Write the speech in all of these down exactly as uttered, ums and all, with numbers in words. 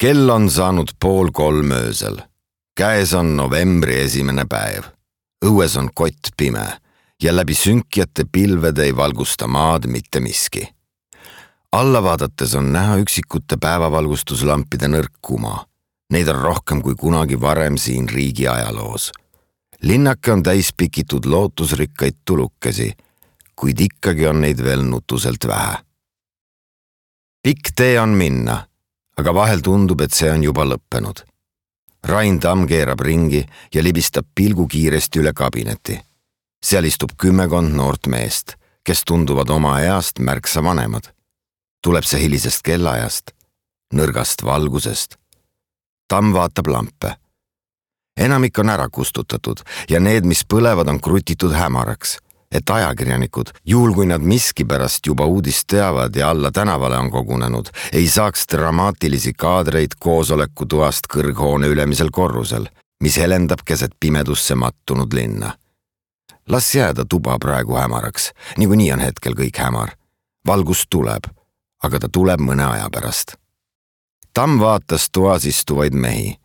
Kell on saanud pool kolm öösel. Käes on novembri esimene päev. Õues on kott pime ja läbi sünkjate pilvede ei valgusta maad mitte miski. Alla vaadates on näha üksikute päevavalgustuslampide nõrk kuma. Neid on rohkem kui kunagi varem siin riigi ajaloos. Linnake on täis pikitud lootusrikkaid tulukesi, kuid ikkagi on neid veel nutuselt vähe. Pikk tee on minna, aga vahel tundub, et see on juba lõppenud. Rain Tamm keerab ringi ja libistab pilgu kiiresti üle kabineti. Seal istub kümmekond noort meest, kes tunduvad oma east märksa vanemad. Tuleb see hilisest kellaajast, nõrgast valgusest. Tamm vaatab lampe. Enamik on ära kustutatud ja need, mis põlevad, on krutitud hämaraks, et ajakirjanikud, juhul kui nad miskipärast juba uudist teavad ja alla tänavale on kogunenud, ei saaks dramaatilisi kaadreid koosoleku toast kõrghoone ülemisel korrusel, mis helendab keset pimedusse mattunud linna. Las jääda tuba praegu hämaraks, niikuinii on hetkel kõik hämar. Valgus tuleb, aga ta tuleb mõne aja pärast. Tamm vaatas toas istuvaid mehi.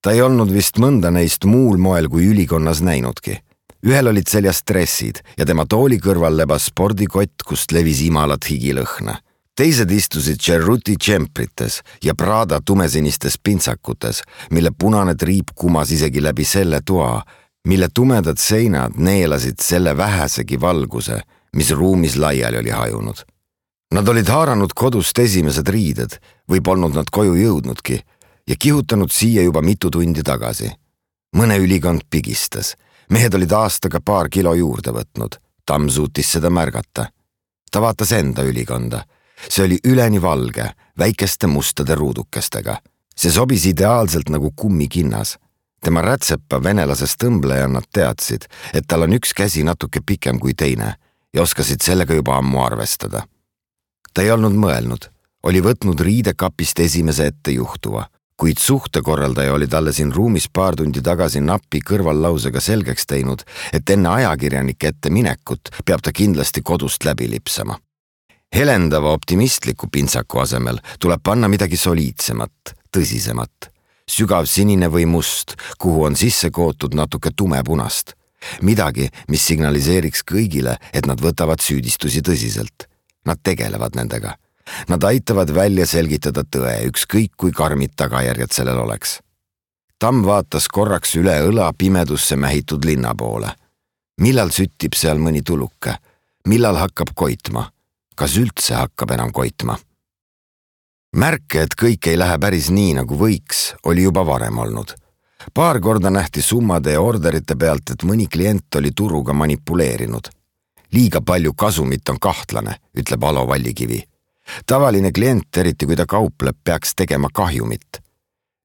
Ta ei olnud vist mõnda neist muul moel kui ülikonnas näinudki. Ühel olid seljas dressid ja tema tooli kõrval lebas spordikott, kust levis imalat higilõhna. Teised istusid Cerruti džemprites ja Prada tumesinistes pintsakutes, mille punane triip kumas isegi läbi selle toa, mille tumedad seinad neelasid selle vähesegi valguse, mis ruumis laiali oli hajunud. Nad olid haaranud kodust esimesed riided või polnud nad koju jõudnudki ja kihutanud siia juba mitu tundi tagasi. Mõne ülikond pigistas. Mehed olid aastaga paar kilo juurde võtnud. Tamm suutis seda märgata. Ta vaatas enda ülikonda. See oli üleni valge, väikeste mustade ruudukestega. See sobis ideaalselt nagu kummikinnas. Tema rätsepa venelasest tõmblejannad teadsid, et tal on üks käsi natuke pikem kui teine ja oskasid sellega juba ammu arvestada. Ta ei olnud mõelnud, oli võtnud riidekapist esimese ette juhtuva, kuid suhtekorraldaja oli talle siin ruumis paar tundi tagasi napi kõrvallausega selgeks teinud, et enne ajakirjanike ette minekut peab ta kindlasti kodust läbi lipsama. Helendava optimistliku pintsaku asemel tuleb panna midagi soliidsemat, tõsisemat, sügav sinine või must, kuhu on sisse kootud natuke tumepunast. Midagi, mis signaliseeriks kõigile, et nad võtavad süüdistusi tõsiselt. Nad tegelevad nendega. Nad aitavad välja selgitada tõe, ükskõik kui karmid tagajärjed sellel oleks. Tamm vaatas korraks üle õla pimedusse mähitud linna poole. Millal süttib seal mõni tuluke? Millal hakkab koitma? Kas üldse hakkab enam koitma? Märke, et kõik ei lähe päris nii, nagu võiks, oli juba varem olnud. Paar korda nähti summade ja orderite pealt, et mõni klient oli turuga manipuleerinud. Liiga palju kasumit on kahtlane, ütleb Alo Vallikivi. Tavaline klient, eriti kui ta kaupleb, peaks tegema kahjumit.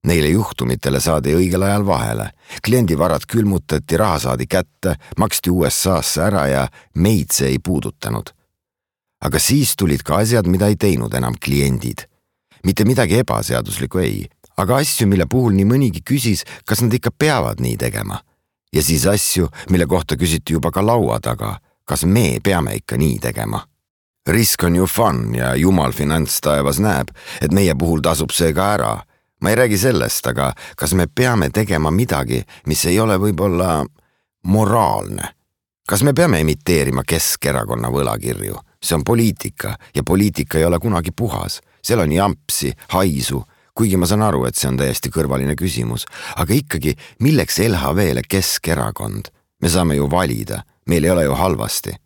Neile juhtumitele saadi õigel ajal vahele. Kliendi varad külmutati, raha saadi kätte, maksti U S A-sse ära ja meid see ei puudutanud. Aga siis tulid ka asjad, mida ei teinud enam kliendid. Mitte midagi ebaseaduslikku ei, aga asju, mille puhul nii mõnigi küsis, kas nad ikka peavad nii tegema. Ja siis asju, mille kohta küsiti juba ka laua taga, kas me peame ikka nii tegema. Risk on ju fun ja jumal finantstaevas näeb, et meie puhul tasub see ka ära. Ma ei räägi sellest, aga kas me peame tegema midagi, mis ei ole võib-olla moraalne? Kas me peame imiteerima Keskerakonna võlakirju? See on poliitika ja poliitika ei ole kunagi puhas. Seal on jampsi, haisu, kuigi ma saan aru, et see on täiesti kõrvaline küsimus. Aga ikkagi, milleks L H V-le Keskerakond? Me saame ju valida, meil ei ole ju halvasti.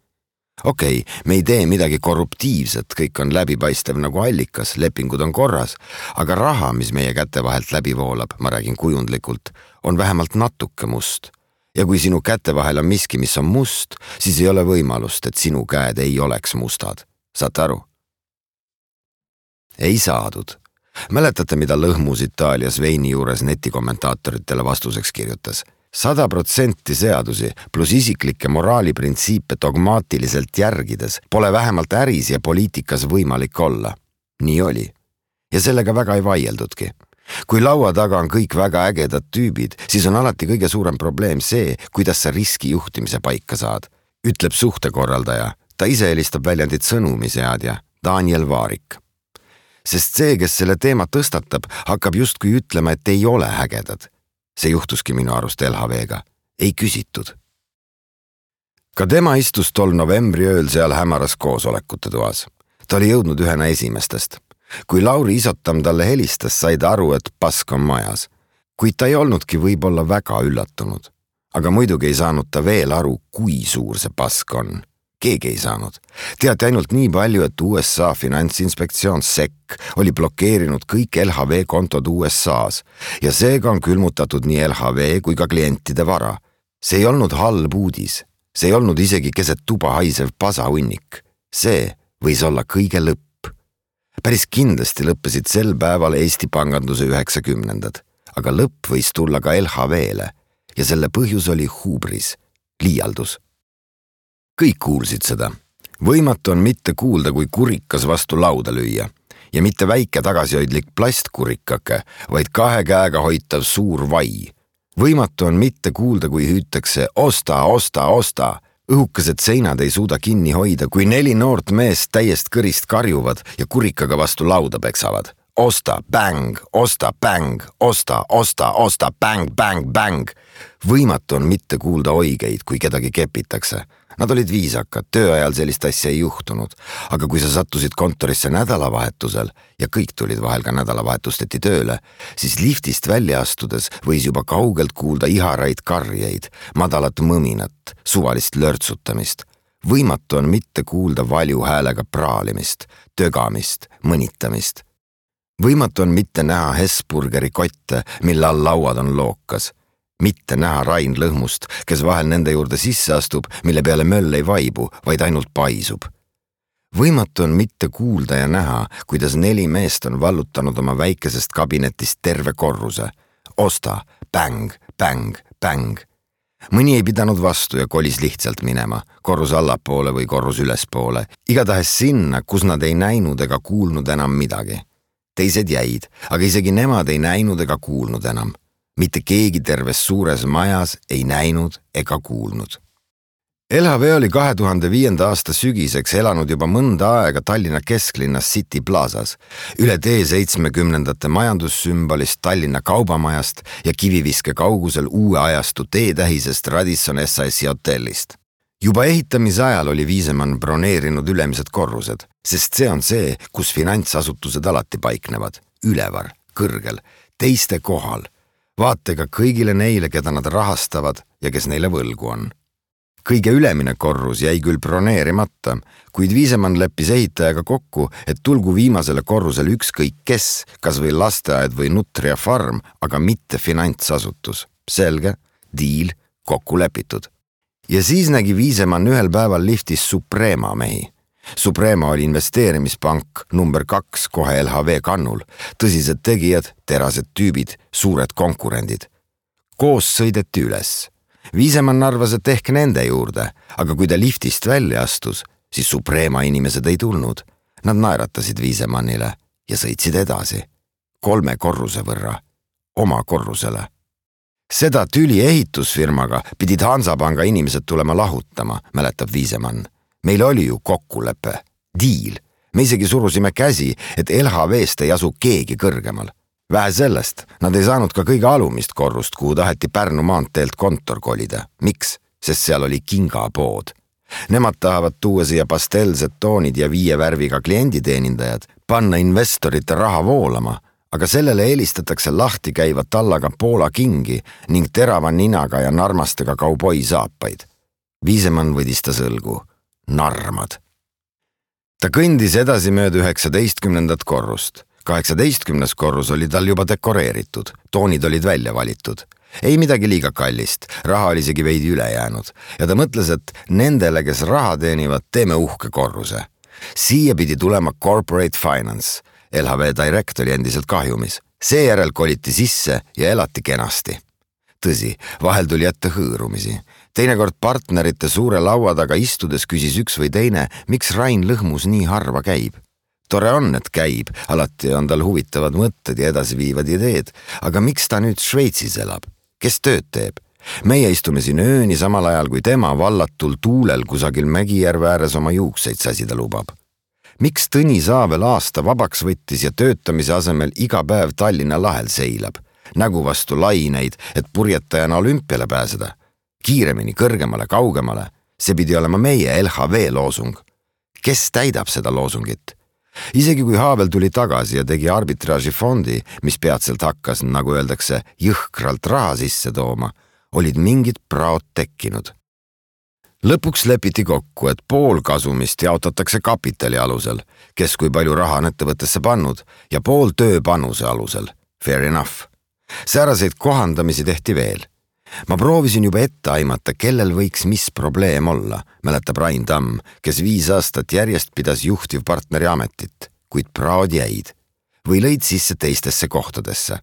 Okei, me ei tee midagi korruptiivset, kõik on läbipaistev nagu allikas, lepingud on korras, aga raha, mis meie käte vahelt läbi voolab, ma räägin kujundlikult, on vähemalt natuke must. Ja kui sinu käte vahel on miski, mis on must, siis ei ole võimalust, et sinu käed ei oleks mustad. Saate aru? Ei saadud. Mäletate, mida Lõhmus Itaalias veini juures netikommentaatoritele vastuseks kirjutas? Sada protsenti seadusi pluss isiklikke moraaliprintsiipe dogmaatiliselt järgides pole vähemalt äris ja poliitikas võimalik olla. Nii oli. Ja sellega väga ei vaieldudki. Kui laua taga on kõik väga ägedad tüübid, siis on alati kõige suurem probleem see, kuidas sa riskijuhtimise paika saad, ütleb suhtekorraldaja. Ta ise helistab väljendit sõnumiseadja Daniel Vaarik. sest see, kes selle teema tõstatab, hakkab justkui ütlema, et ei ole ägedad. See juhtuski minu arust L H V-ga. Ei küsitud. Ka tema istus tol novembri ööl seal hämaras koosolekute toas. Ta oli jõudnud ühena esimestest. Kui Lauri Isotam talle helistas, sai ta aru, et pask on majas. Kuid ta ei olnudki võib-olla väga üllatunud. Aga muidugi ei saanud ta veel aru, kui suur see pask on. Keegi ei saanud. Teati ainult nii palju, et U S A finantsinspektsioon S E C oli blokeerinud kõik L H V kontod U S A-s ja seega on külmutatud nii L H V kui ka klientide vara. See ei olnud halb uudis. See ei olnud isegi keset tuba haisev pasahunnik. See võis olla kõige lõpp. Päris kindlasti lõppesid sel päeval Eesti panganduse üheksakümnendad, aga lõpp võis tulla ka L H V-le ja selle põhjus oli hubris, liialdus. Kõik kuulsid seda. Võimatu on mitte kuulda, kui kurikas vastu lauda lüüa ja mitte väike tagasihoidlik plastkurikake, vaid kahe käega hoitav suur vai. Võimatu on mitte kuulda, kui hüütakse osta, osta, osta. Õhukesed seinad ei suuda kinni hoida, kui neli noort meest täiest kõrist karjuvad ja kurikaga vastu lauda peksavad. Osta, bäng, osta, bäng, osta, osta, osta, bäng, bäng, bäng. Võimatu on mitte kuulda oigeid, kui kedagi kepitakse. Nad olid viisakad, tööajal sellist asja ei juhtunud, aga kui sa sattusid kontorisse nädalavahetusel ja kõik tulid vahel ka nädalavahetusteti tööle, siis liftist välja astudes võis juba kaugelt kuulda iharaid karjeid, madalat mõminat, suvalist lörtsutamist. Võimatu on mitte kuulda valju häälega praalimist, tögamist, mõnitamist. Võimatu on mitte näha Hesburgeri kotte, mille all lauad on lookas. Mitte näha Rain Lõhmust, kes vahel nende juurde sisse astub, mille peale möll ei vaibu, vaid ainult paisub. Võimatu on mitte kuulda ja näha, kuidas neli meest on vallutanud oma väikesest kabinetist terve korruse. Osta, bäng, bäng, bäng. Mõni ei pidanud vastu ja kolis lihtsalt minema, korrus allapoole või korrus ülespoole, igatahes sinna, kus nad ei näinud ega kuulnud enam midagi. Teised jäid, aga isegi nemad ei näinud ega kuulnud enam. Mitte keegi terves suures majas ei näinud ega kuulnud. L H V oli kahe tuhande viienda aasta sügiseks elanud juba mõnda aega Tallinna kesklinnas City Plazas, üle tee seitsmekümnendate majandussümbolist Tallinna kaubamajast ja kiviviske kaugusel uue ajastu teetähisest Radisson S A S-i hotellist. Juba ehitamise ajal oli Viisemann broneerinud ülemised korrused, sest see on see, kus finantsasutused alati paiknevad, ülevar, kõrgel, teiste kohal. Vaatega kõigile neile, keda nad rahastavad ja kes neile võlgu on. Kõige ülemine korrus jäi küll broneerimata, kuid Viisemann leppis ehitajaga kokku, et tulgu viimasele korrusele ükskõik kes, kas või lasteaed või Nutria farm, aga mitte finantsasutus. Selge, diil, kokku lepitud. Ja siis nägi Viisemann ühel päeval liftis Suprema mehi. Suprema oli investeerimispank number kaks kohe L H V kannul, tõsised tegijad, terased tüübid, suured konkurendid. Koos sõideti üles. Viisemann arvas, et ehk nende juurde, aga kui ta liftist välja astus, siis Suprema inimesed ei tulnud. Nad naeratasid Viisemannile ja sõitsid edasi. Kolme korruse võrra. Oma korrusele. Seda tüli ehitusfirmaga pidid Hansapanga inimesed tulema lahutama, mäletab Viisemann. Meil oli ju kokkulepe, diil. Me isegi surusime käsi, et L H V-st ei asu keegi kõrgemal. Vähe sellest, nad ei saanud ka kõige alumist korrust, kuhu taheti Pärnu maanteelt kontor kolida. Miks? Sest seal oli kingapood. Nemad tahavad tuua siia pastelzed toonid ja viie värviga klienditeenindajad, panna investorite raha voolama, aga sellele eelistatakse lahti käiva tallaga Poola kingi ning terava ninaga ja narmastega kauboi saapaid. Viisemann võdis ta sõlgu. Narmad. Ta kõndis edasi mööda üheksateistkümnendat korrust. kaheksateistkümnes korrus oli tal juba dekoreeritud, toonid olid välja valitud. Ei midagi liiga kallist, raha oli isegi veidi üle jäänud ja ta mõtles, et nendele, kes raha teenivad, teeme uhke korruse. Siia pidi tulema corporate finance. L H V Direct oli endiselt kahjumis. Seejärel koliti sisse ja elati kenasti. Tõsi, vahel tuli ette hõõrumisi. Teinekord partnerite suure laua taga istudes küsis üks või teine, miks Rain Lõhmus nii harva käib. Tore on, et käib, alati on tal huvitavad mõtted ja edasiviivad ideed, aga miks ta nüüd Šveitsis elab? Kes tööd teeb? Meie istume siin ööni samal ajal, kui tema vallatul tuulel kusagil Mägijärve ääres oma juukseid säsida lubab. Miks Tõni Saavel aasta vabaks võttis ja töötamise asemel iga päev Tallinna lahel seilab, nägu vastu laineid, et purjetajana olümpiale pääseda? Kiiremini, kõrgemale, kaugemale. See pidi olema meie L H V loosung. Kes täidab seda loosungit? Isegi kui Haavel tuli tagasi ja tegi arbitraažifondi, mis peatselt hakkas, nagu öeldakse, jõhkralt raha sisse tooma, olid mingid praod tekkinud. Lõpuks lepiti kokku, et pool kasumist jaotatakse kapitali alusel, kes kui palju raha on ettevõttesse pannud, ja pool tööpanuse alusel. Fair enough. Sääraseid kohandamisi tehti veel. Ma proovisin juba ette aimata, kellel võiks mis probleem olla, mäletab Rain Tamm, kes viis aastat järjest pidas juhtivpartneri ametit, kuid praod jäid või lõid sisse teistesse kohtadesse.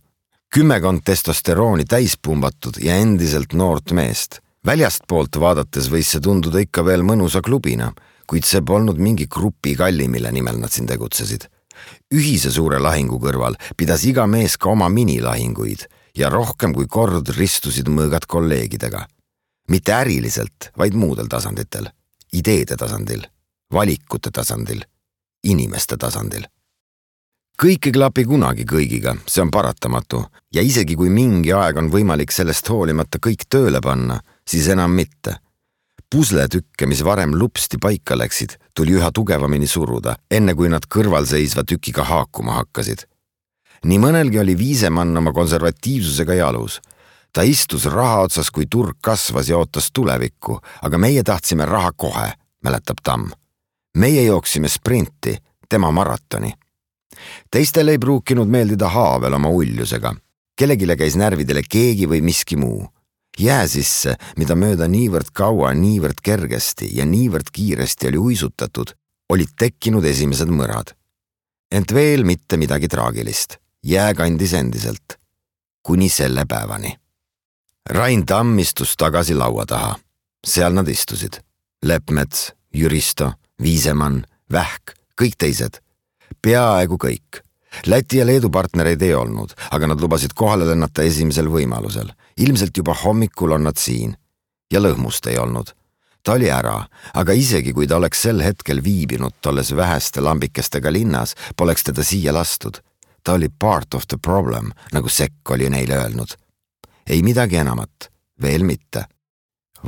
Kümmekond testosterooni täispumbatud ja endiselt noort meest. Väljast poolt vaadates võis see tunduda ikka veel mõnusa klubina, kuid see polnud mingi grupi kalli, mille nimel nad siin tegutsesid. Ühise suure lahingu kõrval pidas iga mees ka oma minilahinguid ja rohkem kui kord ristusid mõõgad kolleegidega. Mitte äriliselt, vaid muudel tasanditel. Ideede tasandil, valikute tasandil, inimeste tasandil. Kõik ei klapi kunagi kõigiga, see on paratamatu. Ja isegi kui mingi aeg on võimalik sellest hoolimata kõik tööle panna, siis enam mitte. Pusletükke, mis varem lupsti paika läksid, tuli üha tugevamini suruda, enne kui nad kõrvalseisva tükiga haakuma hakkasid. Nii mõnelgi oli Viisemann oma konservatiivsusega jalus. Ta istus raha otsas, kui turg kasvas ja ootas tulevikku, aga meie tahtsime raha kohe, mäletab Tamm. Meie jooksime sprinti, tema maratoni. Teistel ei pruukinud meeldida Haavel oma uljusega. Kellegile käis närvidele keegi või miski muu. Jää sisse, mida mööda niivõrd kaua, niivõrd kergesti ja niivõrd kiiresti oli uisutatud, olid tekkinud esimesed mõrad. Ent veel mitte midagi traagilist. Jää kandis endiselt. Kuni selle päevani. Rain Tamm istus tagasi laua taha. Seal nad istusid. Leppmets, Jüristo, Viisemann, Vähk, kõik teised. Peaaegu kõik. Läti ja Leedu partnereid ei olnud, aga nad lubasid kohale lennata esimesel võimalusel. Ilmselt juba hommikul on nad siin. Ja lõhmust ei olnud. Ta oli ära, aga isegi kui ta oleks sel hetkel viibinud tolles väheste lambikestega linnas, poleks teda siia lastud. Ta oli part of the problem, nagu Sekk oli neile öelnud. Ei midagi enamat, veel mitte.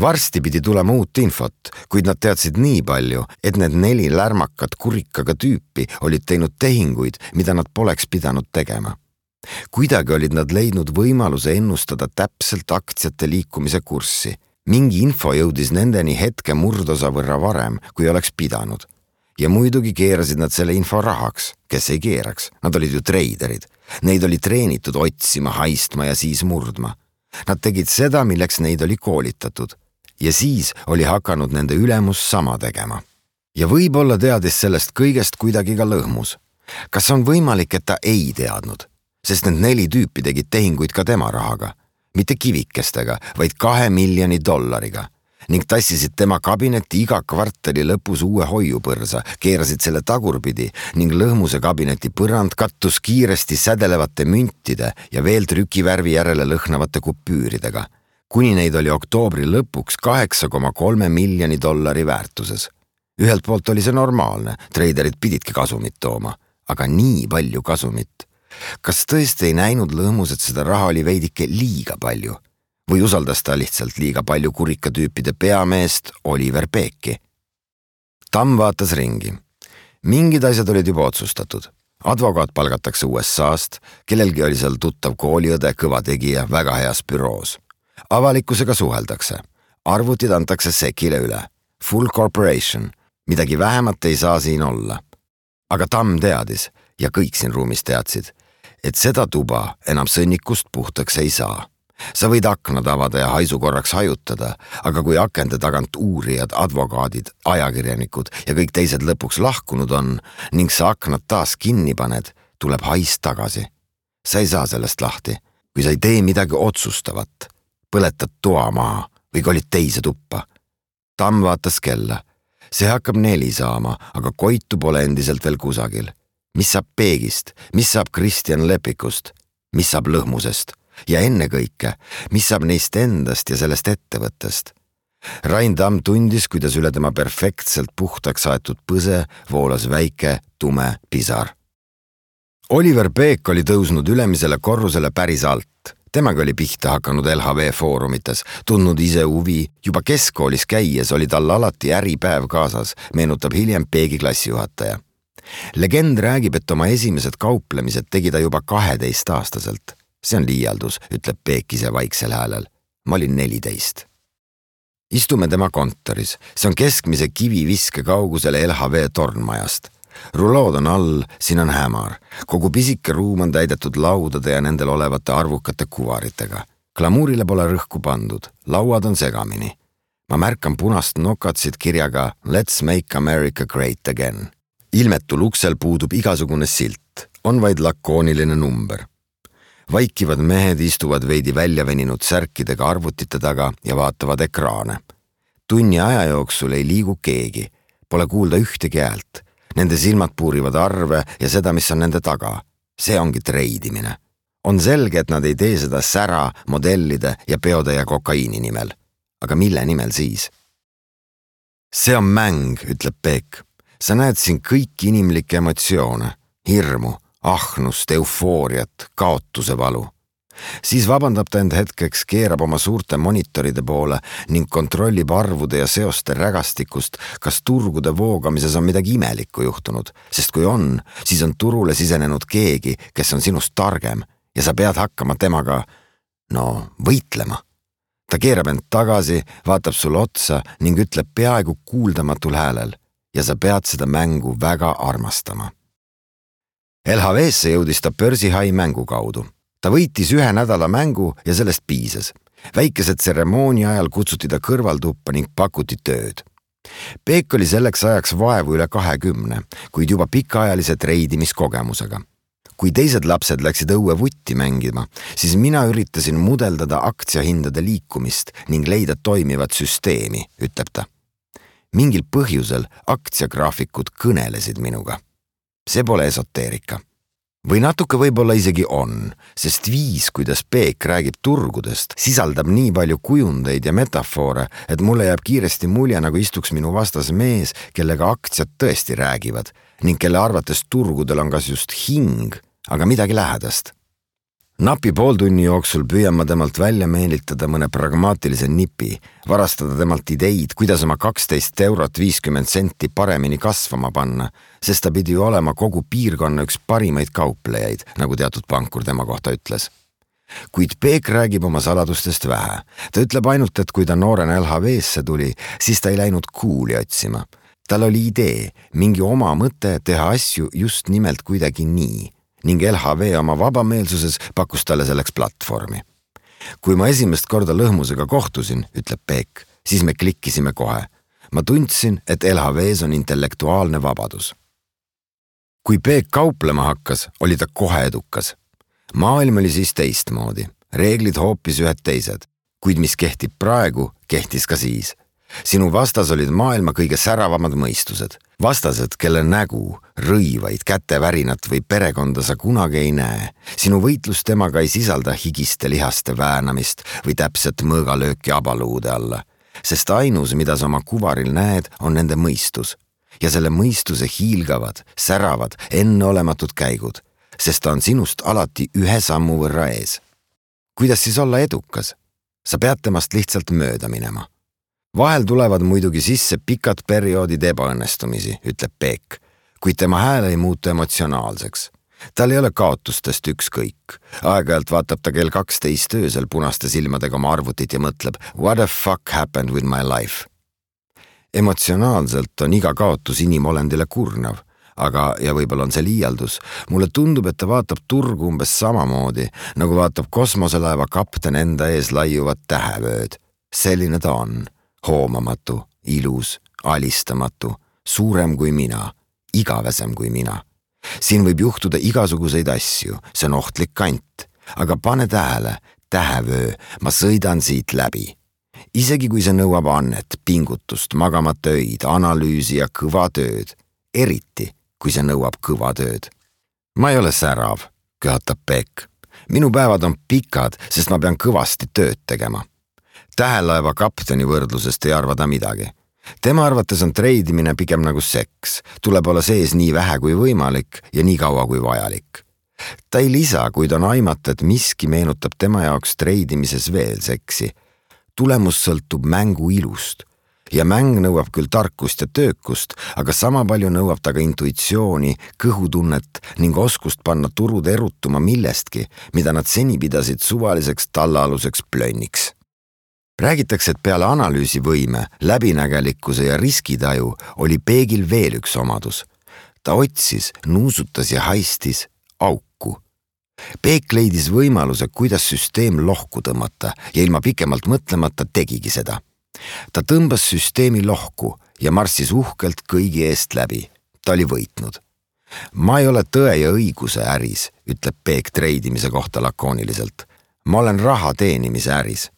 Varsti pidi tulema uut infot, kuid nad teadsid nii palju, et need neli lärmakat kurikaga tüüpi olid teinud tehinguid, mida nad poleks pidanud tegema. Kuidagi olid nad leidnud võimaluse ennustada täpselt aktsiate liikumise kurssi. Mingi info jõudis nendeni hetke murdosa võrra varem, kui oleks pidanud. Ja muidugi keerasid nad selle info rahaks, kes ei keeraks. Nad olid ju treiderid. Neid oli treenitud otsima, haistma ja siis murdma. Nad tegid seda, milleks neid oli koolitatud. Ja siis oli hakanud nende ülemus sama tegema. Ja võib-olla teadis sellest kõigest kuidagi ka lõhmus. Kas on võimalik, et ta ei teadnud? Sest need neli tüüpi tegid tehinguid ka tema rahaga. Mitte kivikestega, vaid kahe miljoni dollariga. Ning tassisid tema kabinetti iga kvartali lõpus uue hoiupõrsa, keerasid selle tagurpidi ning lõhmuse kabineti põrand kattus kiiresti sädelevate müntide ja veel trükivärvi järele lõhnavate kupüüridega. Kuni neid oli oktoobri lõpuks kaheksa koma kolme miljoni dollari väärtuses. Ühelt poolt oli see normaalne, treiderid pididki kasumit tooma, aga nii palju kasumit. Kas tõesti ei näinud lõhmus, et seda raha oli veidike liiga palju? Või usaldas ta lihtsalt liiga palju kurikatüüpide peameest Oliver Peeki? Tamm vaatas ringi. Mingid asjad olid juba otsustatud. Advokaat palgatakse U S A-st, kellelgi oli seal tuttav kooliõde, kõva tegija, väga heas büroos. Avalikkusega suheldakse. Arvutid antakse Sekile üle. Full corporation. Midagi vähemat ei saa siin olla. Aga Tamm teadis, ja kõik siin ruumis teadsid, et seda tuba enam sõnnikust puhtaks ei saa. Sa võid aknad avada ja haisu korraks hajutada, aga kui akende tagant uurijad, advokaadid, ajakirjanikud ja kõik teised lõpuks lahkunud on ning sa aknad taas kinni paned, tuleb hais tagasi. Sa ei saa sellest lahti, kui sa ei tee midagi otsustavat. Põletad toa maha või kolid teise tuppa. Tamm vaatas kella. See hakkab neli saama, aga Koitu pole endiselt veel kusagil. Mis saab Peegist? Mis saab Kristjan Lepikust? Mis saab lõhmusest? Ja enne kõike, mis saab neist endast ja sellest ettevõttest? Rain Tamm tundis, kuidas üle tema perfektselt puhtaks aetud põse voolas väike tume pisar. Oliver Peek oli tõusnud ülemisele korrusele päris alt. Temaga oli pihta hakanud L H V foorumites, tundnud ise huvi. Juba keskkoolis käies oli tal alati äripäev kaasas, meenutab hiljem Peegi klassijuhataja. Legend räägib, et oma esimesed kauplemised tegi ta juba kaheteist aastaselt. See on liialdus, ütleb Peek ise vaiksel häälel. Ma olin neliteist. Istume tema kontoris. See on keskmise kiviviske kaugusele L H V tornmajast. Rulood on all, siin on hämar. Kogu pisike ruum on täidetud laudade ja nendel olevate arvukate kuvaritega. Glamuurile pole rõhku pandud, lauad on segamini. Ma märkan punast nokatsit kirjaga Let's make America great again. Ilmetul uksel puudub igasugune silt, on vaid lakooniline number. Vaikivad mehed istuvad veidi väljaveninud särkidega arvutite taga ja vaatavad ekraane. Tunni aja jooksul ei liigu keegi, pole kuulda ühtegi häält. Nende silmad puurivad arve ja seda, mis on nende taga. See ongi treidimine. On selge, et nad ei tee seda sära, modellide ja peode ja kokaiini nimel. Aga mille nimel siis? See on mäng, ütleb Peek. Sa näed siin kõiki inimlikke emotsioone, hirmu, ahnust, eufooriat, kaotuse valu. Siis vabandab ta end hetkeks, keerab oma suurte monitoride poole ning kontrollib arvude ja seoste rägastikust, kas turgude voogamises on midagi imelikku juhtunud, sest kui on, siis on turule sisenenud keegi, kes on sinust targem ja sa pead hakkama temaga, no, võitlema. Ta keerab end tagasi, vaatab sulle otsa ning ütleb peaaegu kuuldamatul häälel ja sa pead seda mängu väga armastama. L H V-sse jõudis ta börsihai mängu kaudu. Ta võitis ühe nädala mängu ja sellest piisas. Väikese tseremoonia ajal kutsuti ta kõrvaltuppa ning pakuti tööd. Peek oli selleks ajaks vaevu üle kahekümne, kuid juba pikaajalise treidimiskogemusega. Kui teised lapsed läksid õue vutti mängima, siis mina üritasin mudeldada aktsiahindade liikumist ning leida toimivat süsteemi, ütleb ta. Mingil põhjusel aktsiagraafikud kõnelesid minuga. See pole esoteerika. Või natuke võib-olla isegi on, sest viis, kuidas Peek räägib turgudest, sisaldab nii palju kujundeid ja metafoore, et mulle jääb kiiresti mulje, nagu istuks minu vastas mees, kellega aktsiad tõesti räägivad ning kelle arvates turgudel on kas just hing, aga midagi lähedast. Napi pooltunni jooksul püüan ma temalt välja meelitada mõne pragmaatilise nipi, varastada temalt ideid, kuidas oma kaksteist eurot viiskümmend senti paremini kasvama panna, sest ta pidi ju olema kogu piirkonna üks parimaid kauplejaid, nagu teatud pankur tema kohta ütles. Kuid Peek räägib oma saladustest vähe. Ta ütleb ainult, et kui ta noorena L H V-sse tuli, siis ta ei läinud kuuli otsima. Tal oli idee, mingi oma mõte teha asju just nimelt kuidagi nii. Ning L H V oma vabameelsuses pakkus talle selleks platvormi. Kui ma esimest korda Lõhmusega kohtusin, ütleb Peek, siis me klikkisime kohe. Ma tundsin, et L H V-s on intellektuaalne vabadus. Kui Peek kauplema hakkas, oli ta kohe edukas. Maailm oli siis teistmoodi, reeglid hoopis ühed teised, kuid mis kehtib praegu, kehtis ka siis. Sinu vastas olid maailma kõige säravamad mõistused. Vastased, kelle nägu, rõivaid, kätevärinat või perekonda sa kunagi ei näe. Sinu võitlus temaga ei sisalda higiste lihaste väänamist või täpset mõõgalööki abaluude alla, sest ainus, mida sa oma kuvaril näed, on nende mõistus. Ja selle mõistuse hiilgavad, säravad, enneolematud käigud, sest ta on sinust alati ühe sammu võrra ees. Kuidas siis olla edukas? Sa pead temast lihtsalt mööda minema. Vahel tulevad muidugi sisse pikad perioodid ebaõnnestumisi, ütleb Peek, kuid tema hääl ei muutu emotsionaalseks. Tal ei ole kaotustest ükskõik. Aeg-ajalt vaatab ta kell kaksteist öösel punaste silmadega oma arvutit ja mõtleb, what the fuck happened with my life? Emotsionaalselt on iga kaotus inimolendile kurnav, aga, ja võib-olla on see liialdus, mulle tundub, et ta vaatab turgu umbes samamoodi, nagu vaatab kosmoselaeva kapten enda ees laiuvat tähevööd. Selline ta on. Hoomamatu, ilus, alistamatu, suurem kui mina, igavesem kui mina. Siin võib juhtuda igasuguseid asju, see on ohtlik kant, aga pane tähele, tähevöö, ma sõidan siit läbi. Isegi kui see nõuab annet, pingutust, magamata öid, analüüsi ja kõva tööd, eriti kui see nõuab kõva tööd. Ma ei ole särav, köhatab Peek. Minu päevad on pikad, sest ma pean kõvasti tööd tegema. Tähelaeva kapteni võrdlusest ei arva ta midagi. Tema arvates on treidimine pigem nagu seks, tuleb olla sees nii vähe kui võimalik ja nii kaua kui vajalik. Ta ei lisa, kuid on aimata, et miski meenutab tema jaoks treidimises veel seksi. Tulemus sõltub mängu ilust ja mäng nõuab küll tarkust ja töökust, aga sama palju nõuab ta ka intuitsiooni, kõhutunnet ning oskust panna turud erutuma millestki, mida nad seni pidasid suvaliseks tallaaluseks plönniks. Räägitakse, et peale analüüsivõime, läbinägelikkuse ja riskitaju oli Peegil veel üks omadus. Ta otsis, nuusutas ja haistis auku. Peek leidis võimaluse, kuidas süsteem lohku tõmmata ja ilma pikemalt mõtlemata tegigi seda. Ta tõmbas süsteemi lohku ja marssis uhkelt kõigi eest läbi. Ta oli võitnud. Ma ei ole tõe ja õiguse äris, ütleb Peek treidimise kohta lakooniliselt. Ma olen raha teenimise äris.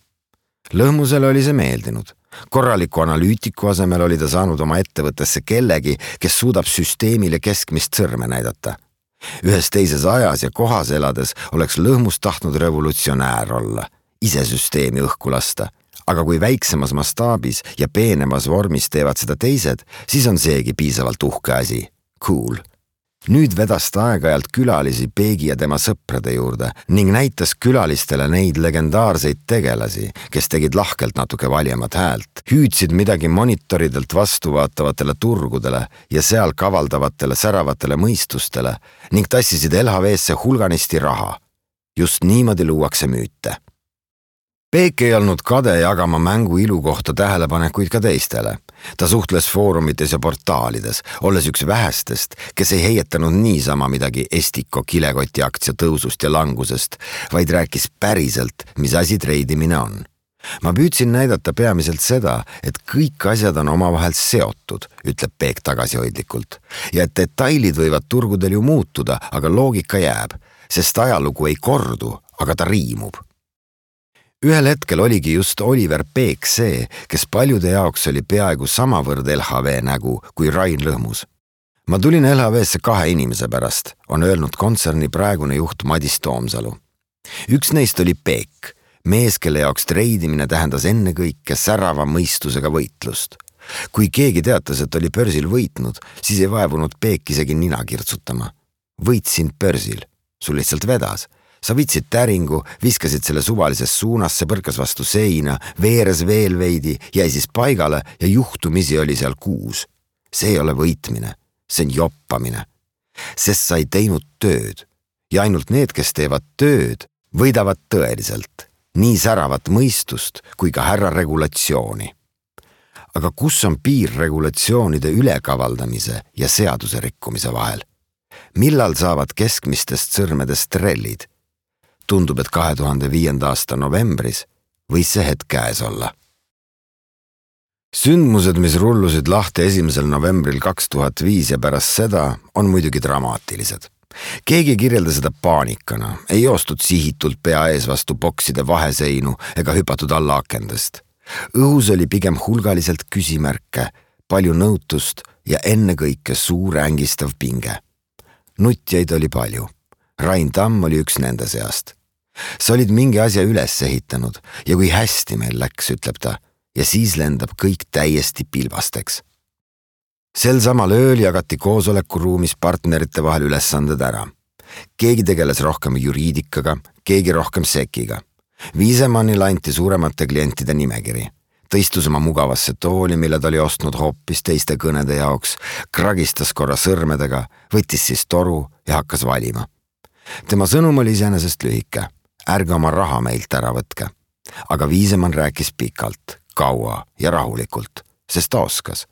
Lõhmusele oli see meeldinud. Korraliku analüütiku asemel oli ta saanud oma ettevõttesse kellegi, kes suudab süsteemile keskmist sõrme näidata. Ühes teises ajas ja kohas elades oleks Lõhmus tahtnud revolutsionäär olla, ise süsteemi õhku lasta. Aga kui väiksemas mastaabis ja peenemas vormis teevad seda teised, siis on seegi piisavalt uhke asi. Cool. Nüüd vedas ta aeg-ajalt külalisi Peegi ja tema sõprade juurde ning näitas külalistele neid legendaarseid tegelasi, kes tegid lahkelt natuke valjemat häält, hüüdsid midagi monitoridelt vastuvaatavatele turgudele ja seal kavaldavatele säravatele mõistustele ning tassisid L H V-sse hulganisti raha. Just niimoodi luuakse müüte. Peek ei olnud kade jagama mängu ilu kohta tähelepanekuid ka teistele. Ta suhtles foorumites ja portaalides, olles üks vähestest, kes ei heietanud niisama midagi Estiko kilekoti aktsia tõusust ja langusest, vaid rääkis päriselt, mis asi treidimine on. Ma püüdsin näidata peamiselt seda, et kõik asjad on omavahel seotud, ütleb Peek tagasihoidlikult, ja et detailid võivad turgudel ju muutuda, aga loogika jääb, sest ajalugu ei kordu, aga ta riimub. Ühel hetkel oligi just Oliver Peek see, kes paljude jaoks oli peaaegu samavõrd L H V nägu kui Rain Lõhmus. Ma tulin L H V-sse kahe inimese pärast, on öelnud kontserni praegune juht Madis Toomsalu. Üks neist oli Peek, mees, kelle jaoks treidimine tähendas ennekõike särava mõistusega võitlust. Kui keegi teatas, et oli börsil võitnud, siis ei vaevunud Peek isegi nina kirtsutama. Võitsin börsil, sul lihtsalt vedas. Sa vitsid täringu, viskasid selle suvalises suunas, see põrkas vastu seina, veeres veel veidi, jäi siis paigale ja juhtumisi oli seal kuus. See ei ole võitmine, see on joppamine. Sest sa ei teinud tööd ja ainult need, kes teevad tööd, võidavad tõeliselt. Nii säravat mõistust kui ka härra regulatsiooni. Aga kus on piir regulatsioonide ülekavaldamise ja seaduse rikkumise vahel? Millal saavad keskmistest sõrmedest trellid? Tundub, et kahe tuhande viienda aasta novembris võis see hetk käes olla. Sündmused, mis rullusid lahti esimesel novembril kaks tuhat viis ja pärast seda, on muidugi dramaatilised. Keegi kirjelda seda paanikana, ei joostud sihitult pea ees vastu bokside vaheseinu ega hüpatud alla akendest. Õhus oli pigem hulgaliselt küsimärke, palju nõutust ja ennekõike suur ängistav pinge. Nutjaid oli palju. Rain Tamm oli üks nende seast. Sa olid mingi asja üles ehitanud ja kui hästi meil läks, ütleb ta, ja siis lendab kõik täiesti pilbasteks. Sel samal ööl jagati koosolekuruumis partnerite vahel ülesanded ära. Keegi tegeles rohkem juriidikaga, keegi rohkem sekiga. Viisemannile anti suuremate klientide nimekiri. Ta istus oma mugavasse tooli, mille ta oli ostnud hoopis teiste kõnede jaoks, kragistas korra sõrmedega, võttis siis toru ja hakkas valima. Tema sõnum oli iseenesest lühike. Ärge oma raha meilt ära võtke. Aga Viisemann rääkis pikalt, kaua ja rahulikult, sest ta oskas.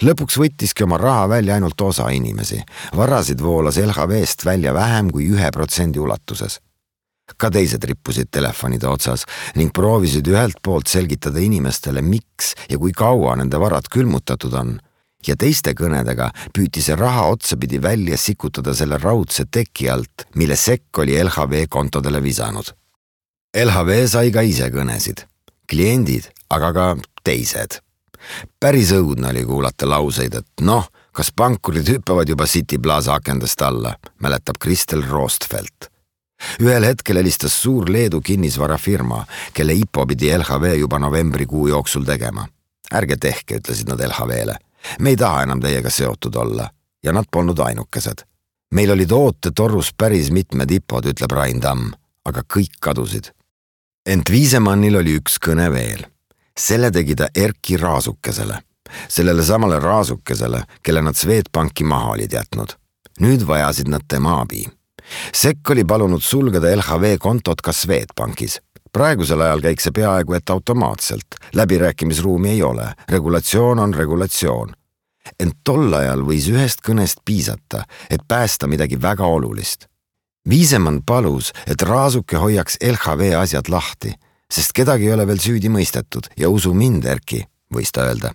Lõpuks võttiski oma raha välja ainult osa inimesi. Varasid voolas L H V-st välja vähem kui ühe protsendi ulatuses. Ka teised rippusid telefonide otsas ning proovisid ühelt poolt selgitada inimestele, miks ja kui kaua nende varad külmutatud on. Ja teiste kõnedega püüti see raha otsapidi välja sikutada selle raudse teki alt, mille sekk oli L H V kontodele visanud. L H V sai ka ise kõnesid. Kliendid, aga ka teised. Päris õudne oli kuulata lauseid, et noh, kas pankurid hüppavad juba City Plaza akendest alla, mäletab Kristel Roostfeld. ühel hetkel helistas suur Leedu kinnisvarafirma, kelle I P O pidi L H V juba novembrikuu jooksul tegema. Ärge tehke, ütlesid nad L H V-le. Me ei taha enam teiega seotud olla. Ja nad polnud ainukesed. Meil olid oote torrus päris mitmed I P O-d, ütleb Rain Tamm, aga kõik kadusid. Ent Viisemannil oli üks kõne veel. Selle tegi ta Erki Raasukesele. Sellele samale Raasukesele, kelle nad Swedbanki maha olid jätnud. Nüüd vajasid nad tema abi. Sekk oli palunud sulgeda L H V kontot ka Swedbankis. Praegusel ajal käiks see peaaegu et automaatselt. Läbirääkimisruumi ei ole. Regulatsioon on regulatsioon. Ent tol ajal võis ühest kõnest piisata, et päästa midagi väga olulist. Viisemann palus, et Raasuke hoiaks L H V asjad lahti, sest kedagi ei ole veel süüdi mõistetud ja usu mind, Erki, võis ta öelda.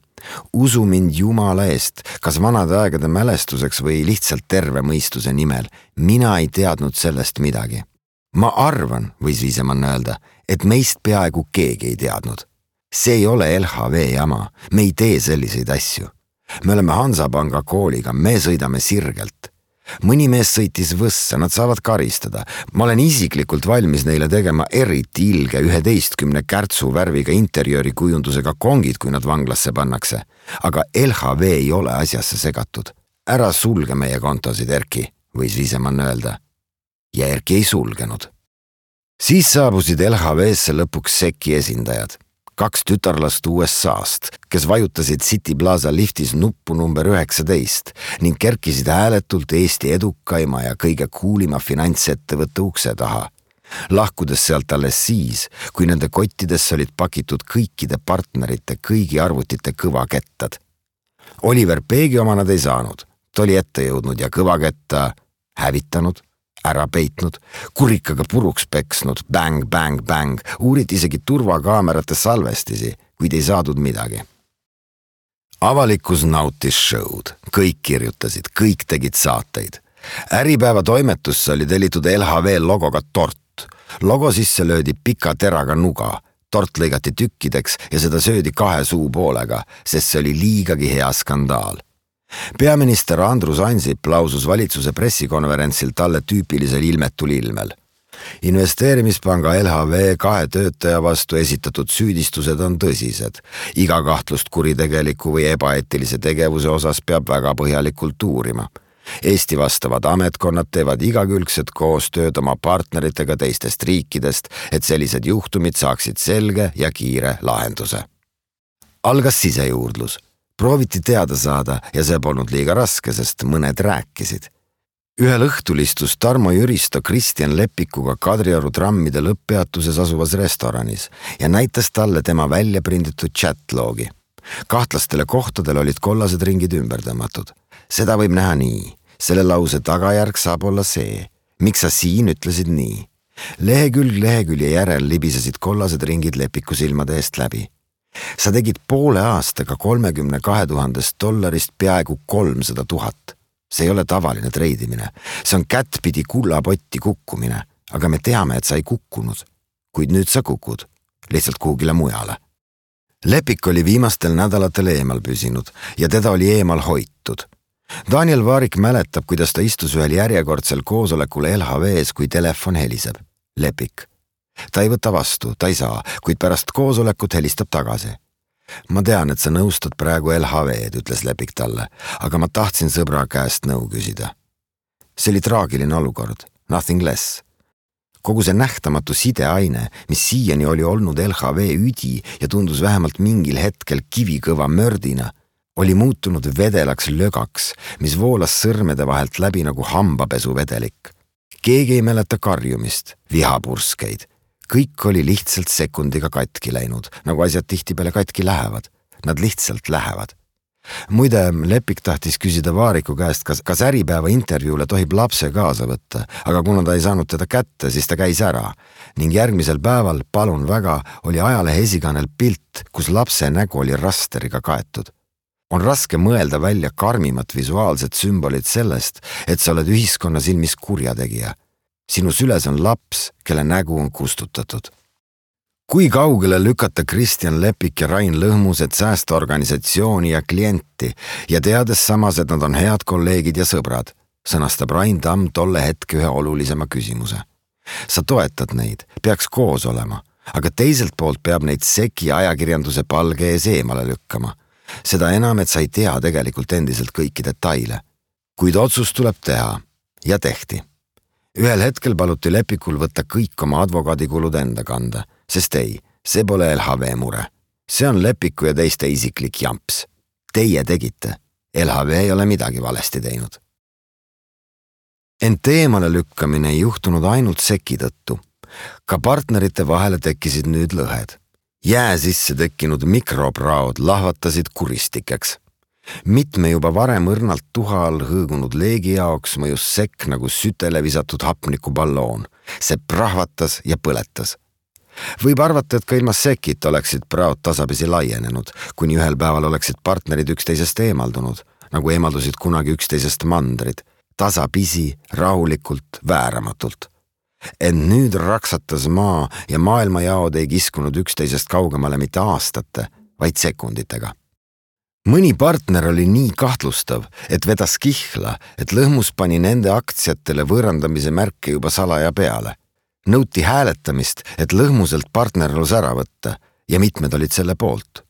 Usu mind Jumala eest, kas vanade aegade mälestuseks või lihtsalt terve mõistuse nimel. Mina ei teadnud sellest midagi. Ma arvan, võis Viisemann öelda, et meist peaaegu keegi ei teadnud. See ei ole L H V jama, me ei tee selliseid asju. Me oleme Hansapanga kooliga, me sõidame sirgelt. Mõni mees sõitis võssa, nad saavad karistada. Ma olen isiklikult valmis neile tegema eriti ilge üheteistkümne kärtsu värviga interjööri kujundusega kongid, kui nad vanglasse pannakse. Aga L H V ei ole asjasse segatud. Ära sulge meie kontosid, Erki, võis Viisemann öelda. Ja Erki ei sulgenud. Siis saabusid L H V-sse lõpuks Seki esindajad. Kaks tütarlast U S A-st, kes vajutasid City Plaza liftis nuppu number üheksateist ning kerkisid hääletult Eesti edukaima ja kõige kuulima finantsettevõtte ukse taha. Lahkudes sealt alles siis, kui nende kottidesse olid pakitud kõikide partnerite kõigi arvutite kõvakettad. Oliver Peegi oma nad ei saanud. Ta oli ette jõudnud ja kõvaketta hävitanud, ära peitnud, kurikaga puruks peksnud, bang, bang, bang, uuriti isegi turvakaamerate salvestisi, kuid ei saadud midagi. Avalikkus nautis show'd, kõik kirjutasid, kõik tegid saateid. Äripäeva toimetusse oli tellitud L H V logoga tort. Logo sisse löödi pika teraga nuga, tort lõigati tükkideks ja seda söödi kahe suu poolega, sest see oli liigagi hea skandaal. Peaminister Andrus Ansip lausus valitsuse pressikonverentsil talle tüüpilisel ilmetul ilmel. Investeerimispanga L H V kahe töötaja vastu esitatud süüdistused on tõsised. Iga kahtlust kuritegeliku või ebaeetilise tegevuse osas peab väga põhjalikult uurima. Eesti vastavad ametkonnad teevad igakülgset koostööd oma partneritega teistest riikidest, et sellised juhtumid saaksid selge ja kiire lahenduse. Algas sisejuurdlus. Prooviti teada saada ja see polnud liiga raske, sest mõned rääkisid. Ühel õhtul istus Tarmo Jüristo Kristjan Lepikuga Kadrioru trammide lõpppeatuses asuvas restoranis ja näitas talle tema välja prinditud chatloogi. Kahtlastele kohtadel olid kollased ringid ümber tõmmatud. Seda võib näha nii. Selle lause tagajärg saab olla see. Miks sa siin ütlesid nii? Lehekülg lehekülje järel libisesid kollased ringid Lepiku silmade eest läbi. Sa tegid poole aastaga kolmekümne kahe tuhandest dollarist peaaegu kolmsada tuhat. See ei ole tavaline treidimine. See on kättpidi kullapotti kukkumine, aga me teame, et sa ei kukkunud. Kuid nüüd sa kukud, lihtsalt kuhugile mujale. Lepik oli viimastel nädalatel eemal püsinud ja teda oli eemal hoitud. Daniel Vaarik mäletab, kuidas ta istus ühel järjekordsel koosolekul L H V-s, kui telefon heliseb. Lepik. Ta ei võta vastu, ta ei saa, kuid pärast koosolekut helistab tagasi. Ma tean, et sa nõustad praegu L H V-d, ütles Lepik talle, aga ma tahtsin sõbra käest nõu küsida. See oli traagiline olukord, nothing less. Kogu see nähtamatu sideaine, mis siiani oli olnud L H V üdi ja tundus vähemalt mingil hetkel kivikõva mördina, oli muutunud vedelaks lögaks, mis voolas sõrmede vahelt läbi nagu hambapesuvedelik. Keegi ei mäleta karjumist, vihapurskeid. Kõik oli lihtsalt sekundiga katki läinud, nagu asjad tihtipeale katki lähevad. Nad lihtsalt lähevad. Muide, Lepik tahtis küsida Vaariku käest, kas, kas äripäeva intervjuule tohib lapse kaasa võtta, aga kuna ta ei saanud teda kätte, siis ta käis ära. Ning järgmisel päeval, palun väga, oli ajalehe esikaanel pilt, kus lapse nägu oli rasteriga kaetud. On raske mõelda välja karmimat visuaalset sümbolit sellest, et sa oled ühiskonna silmis kurjategija. Sinu süles on laps, kelle nägu on kustutatud. Kui kaugele lükata Kristjan Lepik ja Rain Lõhmused säästa organisatsiooni ja klienti ja teades samas, et nad on head kolleegid ja sõbrad, sõnastab Rain Tamm tolle hetke ühe olulisema küsimuse. sa toetad neid, peaks koos olema, aga teiselt poolt peab neid seki ajakirjanduse palge ees eemale lükkama. Seda enam, et sa ei tea tegelikult endiselt kõiki detaile. Kuid otsus tuleb teha ja tehti. Ühel hetkel paluti Lepikul võtta kõik oma advokaadikulud enda kanda, sest ei, see pole L H V mure. See on Lepiku ja teiste isiklik jamps. Teie tegite. L H V ei ole midagi valesti teinud. Ent eemale lükkamine ei juhtunud ainult seki tõttu. Ka partnerite vahele tekkisid nüüd lõhed. Jää sisse tekkinud mikropraod lahvatasid kuristikeks. Mitme juba varem õrnalt tuha all hõõgunud leegi jaoks mõjus sekk nagu sütele visatud hapnikuballoon. See prahvatas ja põletas. Võib arvata, et ka ilma sekit oleksid praod tasapisi laienenud, kuni ühel päeval oleksid partnerid üksteisest eemaldunud, nagu eemaldusid kunagi üksteisest mandrid, tasapisi, rahulikult, vääramatult. Ent nüüd raksatas maa ja maailmajaod ei kiskunud üksteisest kaugemale mitte aastate, vaid sekunditega. Mõni partner oli nii kahtlustav, et vedas kihla, et lõhmus pani nende aktsiatele võõrandamise märke juba salaja peale. Nõuti hääletamist, et lõhmuselt partnerlus ära võtta ja mitmed olid selle poolt.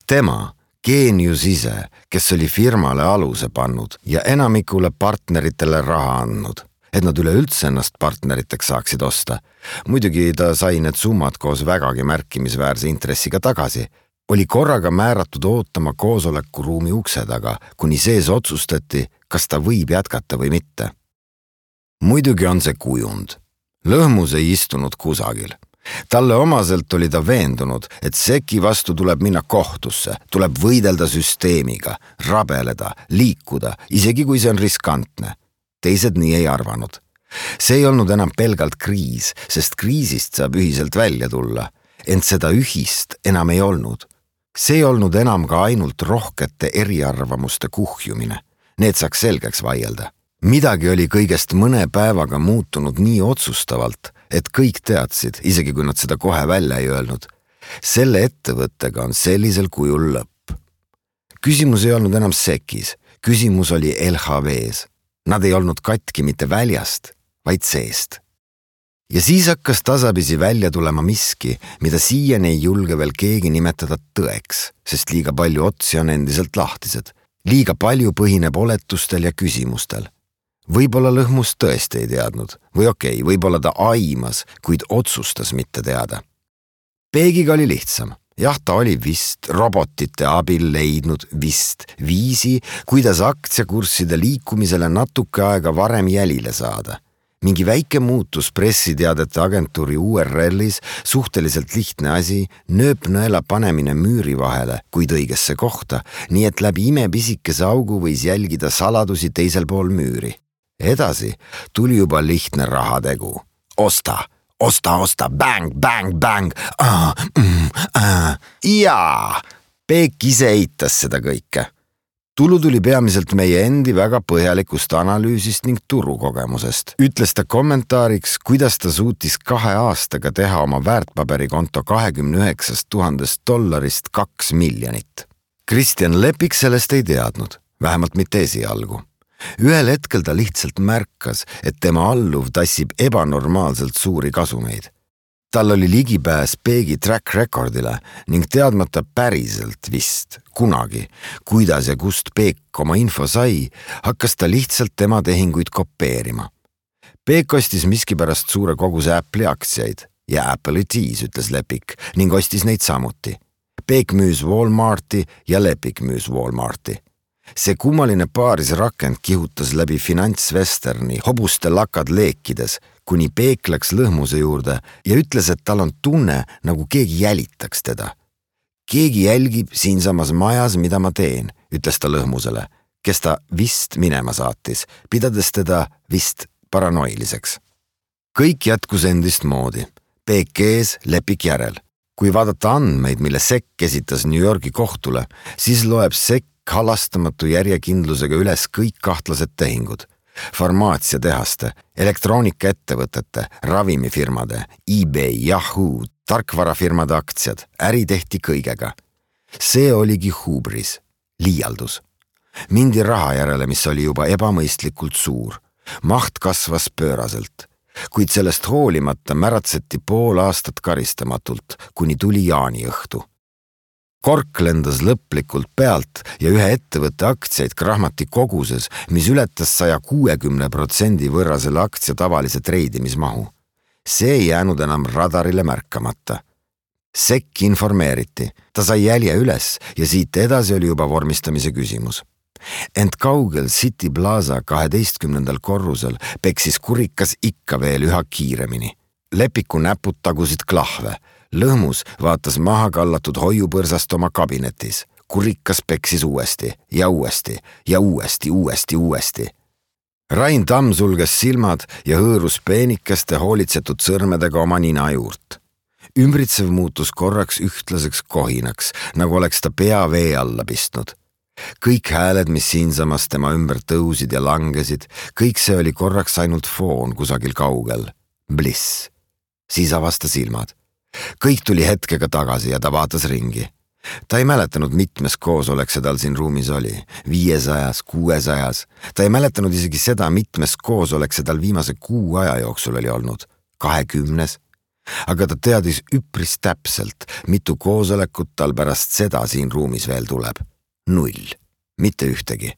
Tema, geenius ise, kes oli firmale aluse pannud ja enamikule partneritele raha andnud, et nad üleüldse ennast partneriteks saaksid osta. Muidugi ta sai need summad koos vägagi märkimisväärse intressiga tagasi, oli korraga määratud ootama koosolekuruumi ukse taga, kuni sees otsustati, kas ta võib jätkata või mitte. Muidugi on see kujund. Lõhmus ei istunud kusagil. Talle omaselt oli ta veendunud, et seki vastu tuleb minna kohtusse, tuleb võidelda süsteemiga, rabeleda, liikuda, isegi kui see on riskantne. Teised nii ei arvanud. See ei olnud enam pelgalt kriis, sest kriisist saab ühiselt välja tulla, ent seda ühist enam ei olnud. See ei olnud enam ka ainult rohkete eriarvamuste kuhjumine. Need saaks selgeks vaielda. Midagi oli kõigest mõne päevaga muutunud nii otsustavalt, et kõik teadsid, isegi kui nad seda kohe välja ei öelnud. Selle ettevõttega on sellisel kujul lõpp. Küsimus ei olnud enam sekis, küsimus oli L H V-s. Nad ei olnud katki mitte väljast, vaid seest. Ja siis hakkas tasapisi välja tulema miski, mida siiani ei julge veel keegi nimetada tõeks, sest liiga palju otsi on endiselt lahtised. Liiga palju põhineb oletustel ja küsimustel. Võib-olla lõhmus tõesti ei teadnud, või okei, võib-olla ta aimas, kuid otsustas mitte teada. Peegiga oli lihtsam. Jah, ta oli vist robotite abil leidnud vist viisi, kuidas aktsiakursside liikumisele natuke aega varem jälile saada. Mingi väike muutus pressiteadete agentuuri U R L-is, suhteliselt lihtne asi, nööpnõela panemine müüri vahele, kuid õigesse kohta, nii et läbi imepisikese augu võis jälgida saladusi teisel pool müüri. Edasi tuli juba lihtne rahategu. Osta, osta, osta, bang, bang, bang, ah, mm, ah. Jaa, Peek ise eitas seda kõike. Tulu tuli peamiselt meie endi väga põhjalikust analüüsist ning turukogemusest. Ütles ta kommentaariks, kuidas ta suutis kahe aastaga teha oma väärtpaberikonto kahekümne üheksast tuhandest dollarist kaks miljonit. Kristjan Lepik sellest ei teadnud, vähemalt mitte esialgu. Ühel hetkel ta lihtsalt märkas, et tema alluv tassib ebanormaalselt suuri kasumeid. Tal oli ligipääs Peegi track recordile ning teadmata päriselt vist kunagi, kuidas ja kust Peek oma info sai, hakkas ta lihtsalt tema tehinguid kopeerima. Peek ostis miskipärast suure koguse Apple'i aktsiaid ja Apple'i tiis, ütles Lepik, ning ostis neid samuti. Peek müüs Walmarti ja Lepik müüs Walmarti. See kummaline paarisrakend kihutas läbi finantsvesterni hobuste lakad leekides, kuni Peek läks lõhmuse juurde ja ütles, et tal on tunne, nagu keegi jälitaks teda. Keegi jälgib siinsamas majas, mida ma teen, ütles ta lõhmusele, kes ta vist minema saatis, pidades teda vist paranoiliseks. Kõik jätkus endist moodi. Peek ees, Lepik järel. Kui vaadata andmeid, mille sekk esitas New Yorgi kohtule, siis loeb sekk halastamatu järjekindlusega üles kõik kahtlased tehingud. Farmaatsiatehaste, elektroonikaettevõtete, ravimifirmade, eBay, Yahoo, tarkvarafirmade aktsiad, äri tehti kõigega. See oligi hubris, liialdus. Mindi raha järele, mis oli juba ebamõistlikult suur. Maht kasvas pööraselt. kuid sellest hoolimata märatseti pool aastat karistamatult, kuni tuli jaaniõhtu. Kork lendas lõplikult pealt ja ühe ettevõtte aktsiaid krahmati koguses, mis ületas saja kuuekümne protsendi võrra selle aktsia tavalise treidimismahu. See ei jäänud enam radarile märkamata. Sekk informeeriti, ta sai jälje üles ja siit edasi oli juba vormistamise küsimus. Ent kaugel City Plaza kaheteistkümnendal korrusel peksis kurikas ikka veel üha kiiremini. Lepiku näpud tagusid klahve. Lõhmus vaatas maha kallatud hoiupõrsast oma kabinetis. Kurikas peksis uuesti ja uuesti ja uuesti, uuesti, uuesti. Rain Tamm sulges silmad ja hõõrus peenikeste hoolitsetud sõrmedega oma nina juurt. Ümbritsev muutus korraks ühtlaseks kohinaks, nagu oleks ta pea vee alla pistnud. Kõik hääled, mis siinsamas tema ümber tõusid ja langesid, kõik see oli korraks ainult foon kusagil kaugel. Bliss. Siis avas ta silmad. Kõik tuli hetkega tagasi ja ta vaatas ringi. Ta ei mäletanud, mitmes koosolek see tal siin ruumis oli. Viiesajas, kuuesajas. Ta ei mäletanud isegi seda, mitmes koosolek see tal viimase kuu aja jooksul oli olnud. Kahekümnes. Aga ta teadis üpris täpselt, mitu koosolekut tal pärast seda siin ruumis veel tuleb. Null. Mitte ühtegi.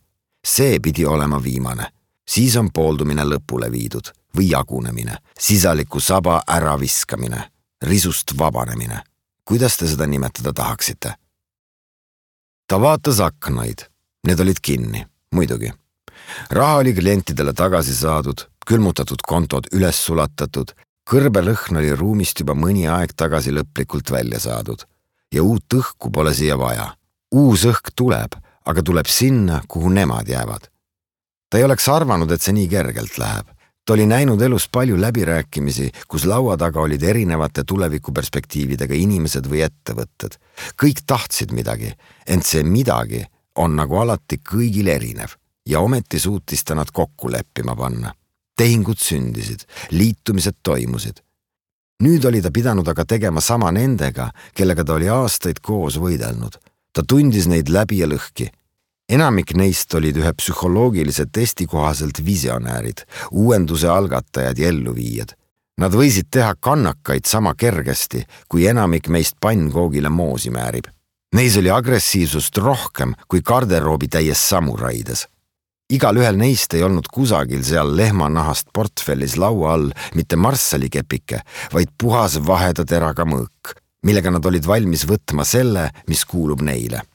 See pidi olema viimane. Siis on pooldumine lõpule viidud või jagunemine. Sisaliku saba äraviskamine. Risust vabanemine. Kuidas te seda nimetada tahaksite? Ta vaatas aknaid. Need olid kinni, muidugi. Raha oli klientidele tagasi saadud, külmutatud kontod üles sulatatud, kõrbelõhn oli ruumist juba mõni aeg tagasi lõplikult välja saadud. Ja uut õhku pole siia vaja. Uus õhk tuleb, aga tuleb sinna, kuhu nemad jäävad. Ta ei oleks arvanud, et see nii kergelt läheb. Ta oli näinud elus palju läbirääkimisi, kus laua taga olid erinevate tulevikuperspektiividega inimesed või ettevõtted. Kõik tahtsid midagi, ent see midagi on nagu alati kõigil erinev ja ometi suutis ta nad kokku leppima panna. Tehingud sündisid, liitumised toimusid. Nüüd oli ta pidanud aga tegema sama nendega, kellega ta oli aastaid koos võidelnud. Ta tundis neid läbi ja lõhki. Enamik neist olid ühe psühholoogilise testi kohaselt visionäärid, uuenduse algatajad ja elluviijad. Nad võisid teha kannakaid sama kergesti, kui enamik meist pannkoogile moosi määrib. Neis oli agressiivsust rohkem kui garderoobi täies samuraides. Igal ühel neist ei olnud kusagil seal lehmanahast portfellis laua all mitte marssalikepike, vaid puhas vaheda teraga mõõk, millega nad olid valmis võtma selle, mis kuulub neile.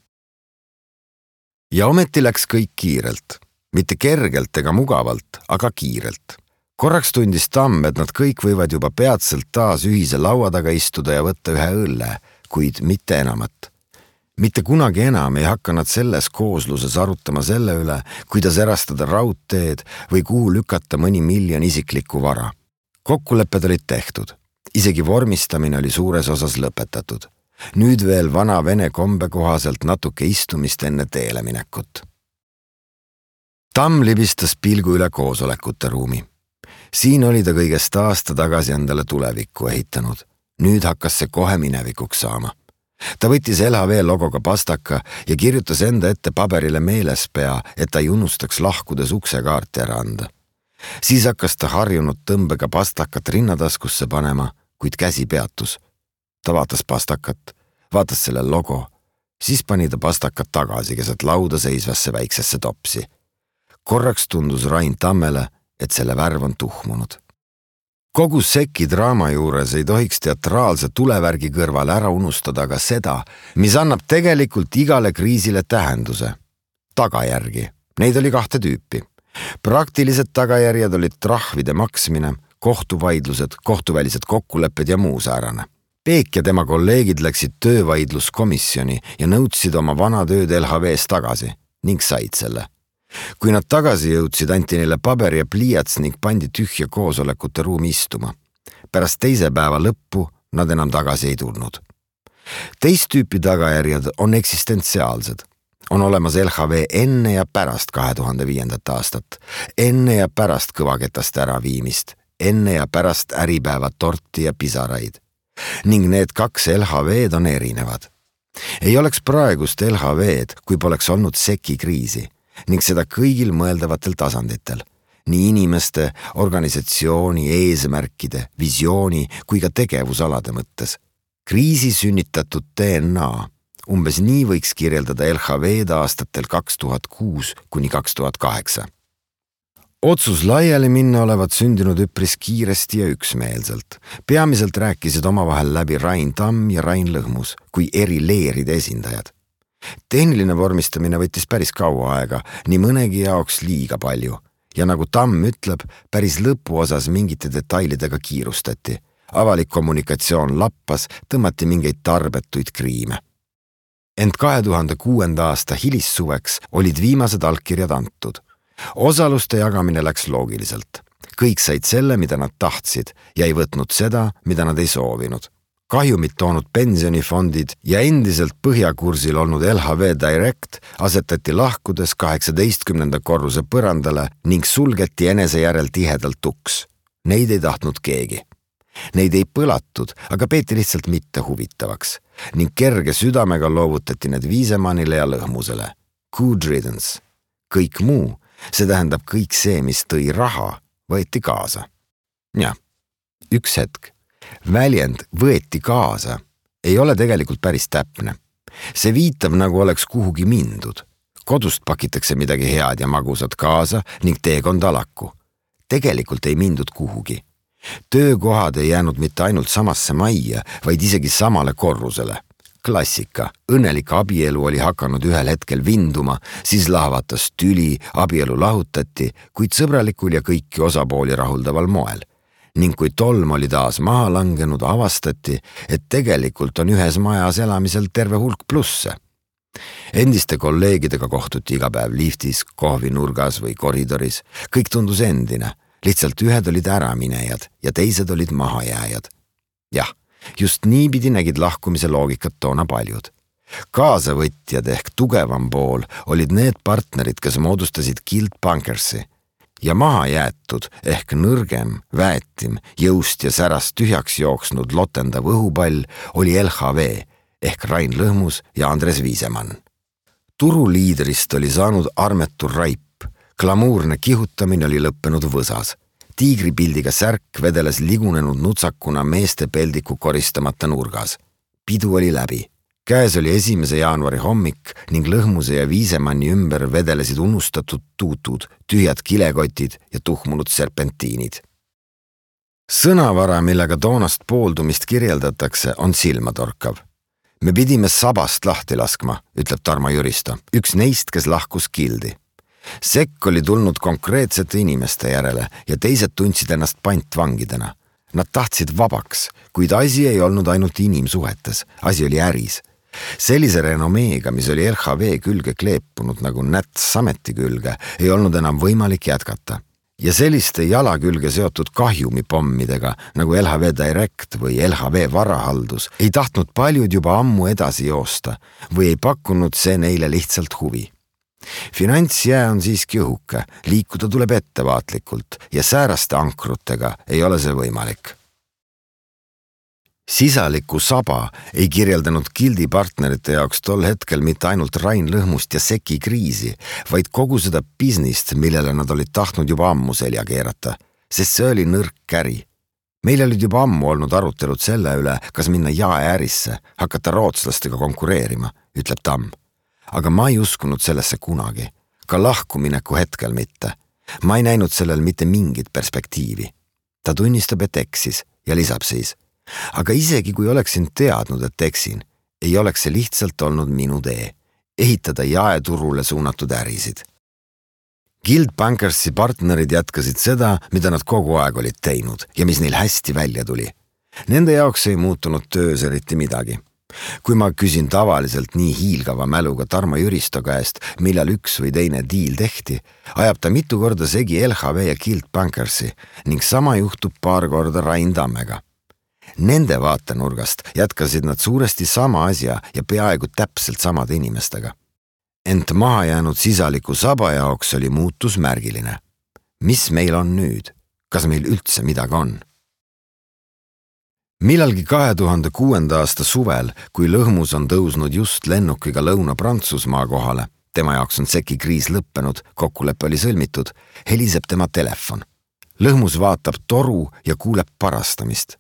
Ja ometi läks kõik kiirelt. Mitte kergelt ega mugavalt, aga kiirelt. Korraks tundis Tamm, et nad kõik võivad juba peatselt taas ühise laua taga istuda ja võtta ühe õlle, kuid mitte enamat. Mitte kunagi enam ei hakka nad selles koosluses arutama selle üle, kuidas erastada raudteed või kuhu lükata mõni miljon isiklikku vara. Kokkulepped olid tehtud. Isegi vormistamine oli suures osas lõpetatud. Nüüd veel vana vene kombe kohaselt natuke istumist enne teele minekut. Tamm libistas pilgu üle koosolekute ruumi. Siin oli ta kõigest aasta tagasi endale tulevikku ehitanud. Nüüd hakkas see kohe minevikuks saama. Ta võttis L H V logoga pastaka ja kirjutas enda ette paberile meelespea, et ta ei unustaks lahkudes uksekaarti ära anda. Siis hakkas ta harjunud tõmbega pastakat rinnataskusse panema, kuid käsi peatus. Ta vaatas pastakat, vaatas selle logo, siis pani ta pastakat tagasi keset lauda seisvasse väiksesse topsi. Korraks tundus Rain Tammele, et selle värv on tuhmunud. Kogu Seki draama juures ei tohiks teatraalse tulevärgi kõrval ära unustada ka seda, mis annab tegelikult igale kriisile tähenduse. Tagajärgi. Neid oli kahte tüüpi. Praktilised tagajärjed olid trahvide maksmine, kohtuvaidlused, kohtuvälised kokkulepped ja muu säärane. Peek ja tema kolleegid läksid töövaidluskomisjoni ja nõudsid oma vana tööd L H V-s tagasi ning said selle. Kui nad tagasi jõudsid, anti neile paber ja pliiats ning pandi tühja koosolekute ruumi istuma. Pärast teise päeva lõppu nad enam tagasi ei tulnud. Teist tüüpi tagajärjed on eksistentsiaalsed. On olemas L H V enne ja pärast kahe tuhande viiendat aastat, enne ja pärast kõvaketast äraviimist, enne ja pärast äripäeva torti ja pisaraid. Ning need kaks L H V-d on erinevad. Ei oleks praegust L H V-d, kui poleks olnud Seki kriisi ning seda kõigil mõeldavatel tasanditel. nii inimeste, organisatsiooni, eesmärkide, visiooni kui ka tegevusalade mõttes. Kriisi sünnitatud D N A, umbes nii võiks kirjeldada L H V-d aastatel kaks tuhat kuus kuni kaks tuhat kaheksa. Otsus laiali minna olevat sündinud üpris kiiresti ja üksmeelselt. Peamiselt rääkisid omavahel läbi Rain Tamm ja Rain Lõhmus kui eri leeride esindajad. Tehniline vormistamine võttis päris kaua aega, nii mõnegi jaoks liiga palju. Ja nagu Tamm ütleb, päris lõpuosas mingite detailidega kiirustati. Avalik kommunikatsioon lappas, tõmmati mingeid tarbetuid kriime. Ent kahe tuhande kuuenda aasta hilissuveks olid viimased allkirjad antud. Osaluste jagamine läks loogiliselt. Kõik said selle, mida nad tahtsid ja ei võtnud seda, mida nad ei soovinud. Kahjumit toonud pensionifondid ja endiselt põhjakursil olnud L H V Direct asetati lahkudes kaheksateistkümnenda korruse põrandale ning sulgeti enese järel tihedalt uks. Neid ei tahtnud keegi. Neid ei põlatud, aga peeti lihtsalt mitte huvitavaks ning kerge südamega loovutati need Viisemannile ja Lõhmusele. Good riddance. Kõik muu, see tähendab kõik see, mis tõi raha, võeti kaasa. Ja, üks hetk. Väljend võeti kaasa ei ole tegelikult päris täpne. See viitab, nagu oleks kuhugi mindud. Kodust pakitakse midagi head ja magusat kaasa ning teekond alaku. Tegelikult ei mindud kuhugi. Töökohad ei jäänud mitte ainult samasse majja, vaid isegi samale korrusele. Klassika, õnnelik abielu oli hakanud ühel hetkel vinduma, siis lahvatas tüli, abielu lahutati, kuid sõbralikul ja kõiki osapooli rahuldaval moel. Ning kui tolm oli taas maha langenud, avastati, et tegelikult on ühes majas elamisel terve hulk plusse. Endiste kolleegidega kohtuti iga päev liftis, kohvinurgas või koridoris. Kõik tundus endine, lihtsalt ühed olid äraminejad ja teised olid mahajääjad. Jah, just niipidi nägid lahkumise loogikat toona paljud. Kaasavõtjad ehk tugevam pool olid need partnerid, kes moodustasid Guild Bankersi. Ja maha jäetud ehk nõrgem, väetim, jõust ja särast tühjaks jooksnud lotendav õhupall oli L H V ehk Rain Lõhmus ja Andres Viisemann. Turuliidrist oli saanud armetu raip, glamuurne kihutamine oli lõppenud võsas. Tiigripildiga särk vedeles ligunenud nutsakuna meeste peldiku koristamata nurgas. Pidu oli läbi. Käes oli esimese jaanuari hommik ning Lõhmuse ja Viisemanni ümber vedelesid unustatud tuutud, tühjad kilekotid ja tuhmunud serpentiinid. Sõnavara, millega toonast pooldumist kirjeldatakse, on silmatorkav. Me pidime sabast lahti laskma, ütleb Tarmo Jüristo, üks neist, kes lahkus Guildi. Sekk oli tulnud konkreetsete inimeste järele ja teised tundsid ennast pantvangidena. Nad tahtsid vabaks, kuid asi ei olnud ainult inimsuhetes, asi oli äris. Sellise renomeega, mis oli L H V külge kleepunud nagu näts sameti külge, ei olnud enam võimalik jätkata. Ja selliste jala külge seotud kahjumipommidega nagu L H V Direct või L H V varahaldus ei tahtnud paljud juba ammu edasi joosta või ei pakkunud see neile lihtsalt huvi. Finantsjää on siiski õhuke, liikuda tuleb ettevaatlikult ja sääraste ankrutega ei ole see võimalik. Sisaliku saba ei kirjeldanud Guildi partnerite jaoks tol hetkel mitte ainult Rain Lõhmust ja Seki kriisi, vaid kogu seda biznist, millele nad olid tahtnud juba ammu selja keerata, sest see oli nõrk käri. Meil olid juba ammu olnud arutelud selle üle, kas minna jaeärisse, hakata rootslastega konkureerima, ütleb Tamm. Aga ma ei uskunud sellesse kunagi, ka lahkumineku hetkel mitte. Ma ei näinud sellel mitte mingit perspektiivi. Ta tunnistab, et eksis ja lisab siis. Aga isegi kui oleksin teadnud, et eksin, ei oleks see lihtsalt olnud minu tee. Ehitada jaeturule suunatud ärisid. Guild Bankersi partnerid jätkasid seda, mida nad kogu aeg olid teinud ja mis neil hästi välja tuli. Nende jaoks ei muutunud töös eriti midagi. Kui ma küsin tavaliselt nii hiilgava mäluga Tarmo Jüristo käest, millal üks või teine diil tehti, ajab ta mitu korda segi L H V ja Guild Bankersi ning sama juhtub paar korda Rain Tammega. Nende vaatenurgast jätkasid nad suuresti sama asja ja peaaegu täpselt samade inimestega. Ent maha jäänud sisaliku saba jaoks oli muutus märgiline. Mis meil on nüüd? Kas meil üldse midagi on? Millalgi kahe tuhande kuuenda aasta suvel, kui Lõhmus on tõusnud just lennukiga Lõuna-Prantsusmaa kohale, tema jaoks on seki kriis lõppenud, kokkulepe oli sõlmitud, heliseb tema telefon. Lõhmus vaatab toru ja kuuleb parastamist.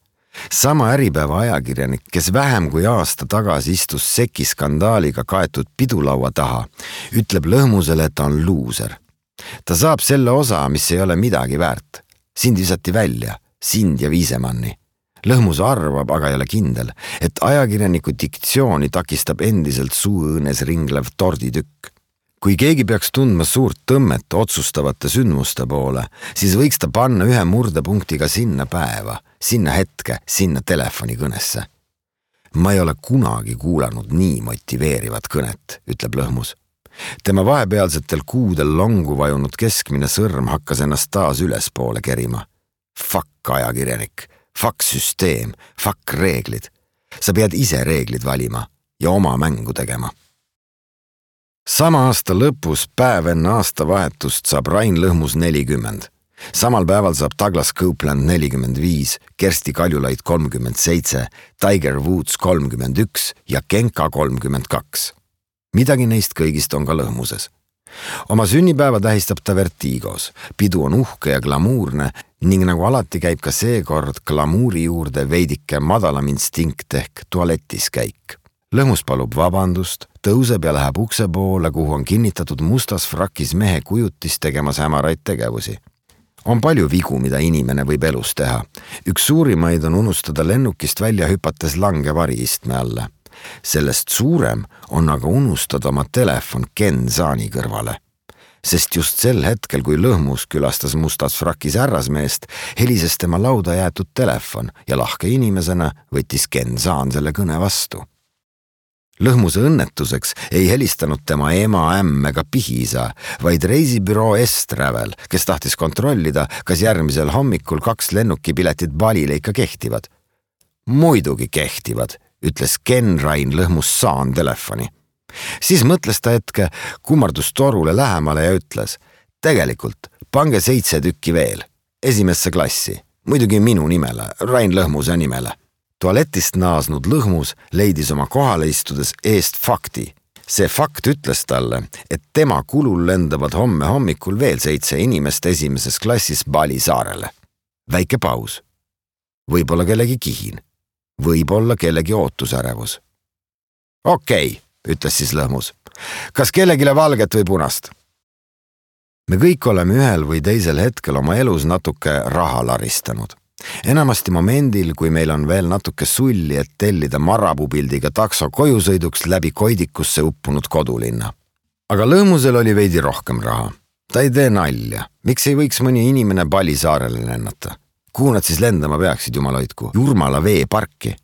Sama Äripäeva ajakirjanik, kes vähem kui aasta tagasi istus seki skandaaliga kaetud pidulaua taha, ütleb Lõhmusele, et ta on luuser. Ta saab selle osa, mis ei ole midagi väärt. Sind visati välja, sind ja Viisemanni. Lõhmus arvab, aga ei ole kindel, et ajakirjaniku diktsiooni takistab endiselt suuõõnes ringlev torditükk. Kui keegi peaks tundma suurt tõmmet otsustavate sündmuste poole, siis võiks ta panna ühe murdepunktiga sinna päeva, sinna hetke, sinna telefonikõnesse. Ma ei ole kunagi kuulanud nii motiveerivat kõnet, ütleb Lõhmus. Tema vahepealsetel kuudel longu vajunud keskmine sõrm hakkas ennast taas ülespoole kerima. Fuck ajakirjanik, fuck süsteem, fuck reeglid. Sa pead ise reeglid valima ja oma mängu tegema. Sama aasta lõpus päev enne aastavahetust saab Rain Lõhmus nelikümmend. Samal päeval saab Douglas Copeland nelikümmend viis, Kersti Kaljulaid kolmkümmend seitse, Tiger Woods kolmkümmend üks ja Genka kolmkümmend kaks. Midagi neist kõigist on ka Lõhmuses. Oma sünnipäeva tähistab ta Vertigos. Pidu on uhke ja glamuurne ning nagu alati käib ka seekord glamuuri juurde veidike madalam instinkt ehk tualetis käik. Lõhmus palub vabandust, tõuseb ja läheb ukse poole, kuhu on kinnitatud mustas frakis mehe kujutis tegemas hämaraid tegevusi. On palju vigu, mida inimene võib elus teha. Üks suurimaid on unustada lennukist välja hüpates lange variistme alla. Sellest suurem on aga unustada oma telefon Ken Zaani kõrvale. Sest just sel hetkel, kui Lõhmus külastas mustas frakis härrasmeest, helises tema lauda jäetud telefon ja lahke inimesena võttis Ken Zaan selle kõne vastu. Lõhmuse õnnetuseks ei helistanud tema ema, ämm ega pihiisa, vaid reisibüroo S-Travel, kes tahtis kontrollida, kas järgmisel hommikul kaks lennukipiletit Balile ikka kehtivad. Muidugi kehtivad, ütles Ken Rain Lõhmus Saan telefoni. Siis mõtles ta hetke, kummardus torule lähemale ja ütles, tegelikult pange seitse tükki veel, esimesse klassi, muidugi minu nimele, Rain Lõhmuse nimele. Tualetist naasnud Lõhmus leidis oma kohale istudes eest fakti. See fakt ütles talle, et tema kulul lendavad homme hommikul veel seitse inimest esimeses klassis Bali saarele. Väike paus. Võib-olla kellegi kihin. Võib-olla kellegi ootusärevus. Okei, ütles siis Lõhmus. Kas kellegile valget või punast? Me kõik oleme ühel või teisel hetkel oma elus natuke raha laristanud. Enamasti momendil, kui meil on veel natuke sulli, et tellida marabupildiga takso kojusõiduks läbi koidikusse uppunud kodulinna. Aga Lõhmusel oli veidi rohkem raha. Ta ei tee nalja. Miks ei võiks mõni inimene Bali saarele lennata? Kuhu nad siis lendama peaksid, jumal hoidku? Jurmala veeparki.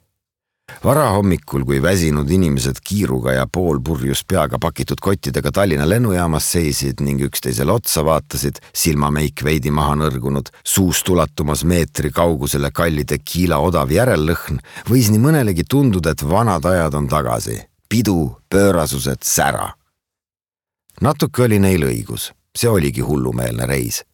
Varahommikul, kui väsinud inimesed kiiruga ja poolpurjus peaga pakitud kottidega Tallinna lennujaamas seisid ning üksteisele otsa vaatasid, silmameik veidi maha nõrgunud, suust ulatumas meetri kaugusele kallide kiila odav järellõhn, võis nii mõnelegi tunduda, et vanad ajad on tagasi. Pidu, pöörasused, sära. Natuke oli neil õigus. See oligi hullumeelne reis.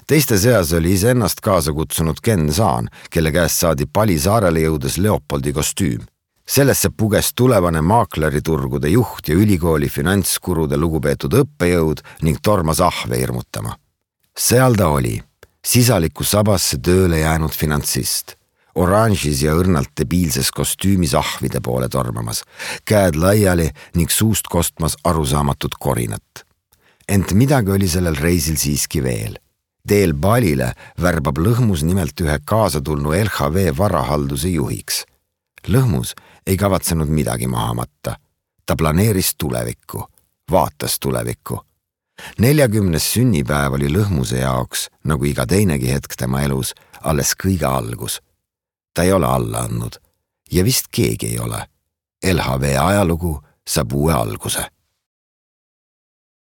Teiste seas oli iseennast kaasa kutsunud Ken Zaan, kelle käest saadi Bali saarele jõudes Leopoldi kostüüm. Sellesse puges tulevane maakleriturgude juht ja ülikooli finantskurude lugupeetud õppejõud ning tormas ahve hirmutama. Seal ta oli, sisaliku sabasse tööle jäänud finantsist, oranžis ja õrnalt debiilses kostüümis ahvide poole tormamas, käed laiali ning suust kostmas arusaamatut korinat. Ent midagi oli sellel reisil siiski veel. Teel Balile värbab Lõhmus nimelt ühe kaasatulnu L H V varahalduse juhiks. Lõhmus ei kavatsenud midagi maha matta. Ta planeeris tulevikku, vaatas tulevikku. neljakümnes sünnipäev oli Lõhmuse jaoks, nagu iga teinegi hetk tema elus, alles kõige algus. Ta ei ole alla andnud ja vist keegi ei ole. L H V ajalugu saab uue alguse.